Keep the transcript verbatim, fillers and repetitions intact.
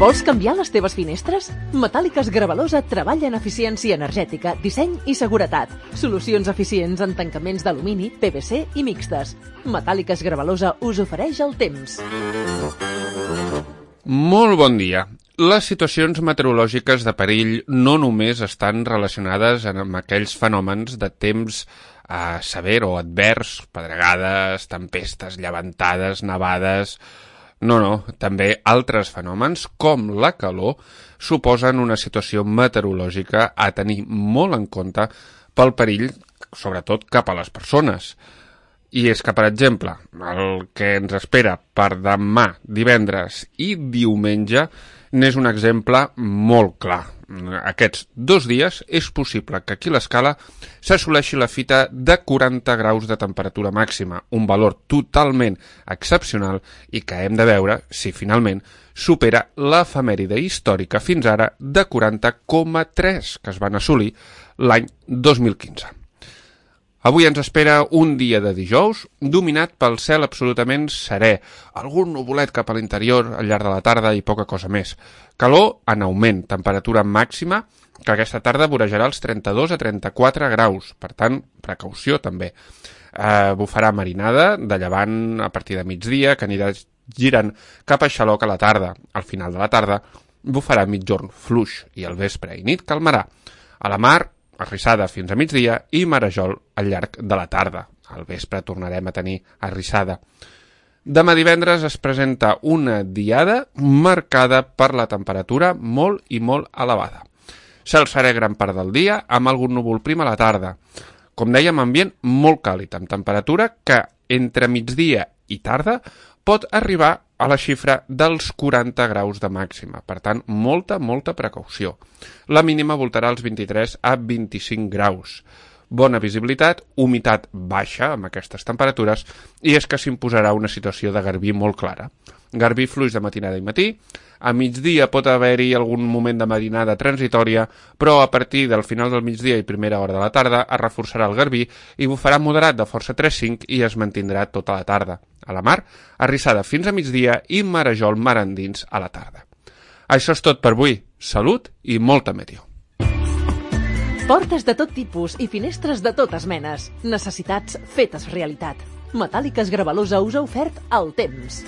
Vols canviar les teves finestres? Metàl·liques Gravalosa treballa en eficiència energètica, disseny i seguretat. Solucions eficients en tancaments d'alumini, P V C i mixtes. Metàl·liques Gravalosa us ofereix el temps. Molt bon dia. Les situacions meteorològiques de perill no només estan relacionades amb aquells fenòmens de temps eh, sever o advers, pedregades, tempestes, llevantades, nevades. No, no, també altres fenòmens, com la calor, suposen una situació meteorològica a tenir molt en compte pel perill, sobretot cap a les persones. I és que, per exemple, el que ens espera per demà, divendres i diumenge n'és un exemple molt clar. Aquests dos dies és possible que aquí a l'escala s'assoleixi la fita de quaranta graus de temperatura màxima, un valor totalment excepcional i que hem de veure si finalment supera l'efemèride històrica fins ara de quaranta coma tres que es van assolir l'any dos mil quinze. Avui ens espera un dia de dijous dominat pel cel absolutament serè, algun nuvolet cap a l'interior al llarg de la tarda i poca cosa més. Calor en augment, temperatura màxima que aquesta tarda vorejarà els trenta-dos a trenta-quatre graus, per tant, precaució també. Eh, bufarà marinada de llevant a partir de migdia que anirà girant cap a xaloc a la tarda. Al final de la tarda bufarà migjorn fluix i al vespre i nit calmarà. A la mar, arrissada fins a migdia i marejol al llarg de la tarda. Al vespre tornarem a tenir arrissada. Demà divendres es presenta una diada marcada per la temperatura molt i molt elevada. Cel serè gran part del dia amb algun núvol prim a la tarda. Com dèiem, ambient molt càlid, amb temperatura que entre migdia i tarda pot arribar a la xifra dels quaranta graus de màxima. Per tant, molta, molta precaució. La mínima voltarà als vint-i-tres a vint-i-cinc graus. Bona visibilitat, humitat baixa amb aquestes temperatures i és que s'imposarà una situació de garbí molt clara. Garbí fluix de matinada i matí, a migdia pot haver-hi algun moment de matinada transitòria, però a partir del final del migdia i primera hora de la tarda es reforçarà el garbí i bufarà moderat de força tres cinc i es mantindrà tota la tarda. A la mar, arrissada fins a migdia i marejol mar endins a la tarda. Això és tot per avui. Salut i molta meteo. Portes de tot tipus i finestres de totes menes. Necessitats fetes realitat. Metàl·liques Gravalosa us ha ofert el temps.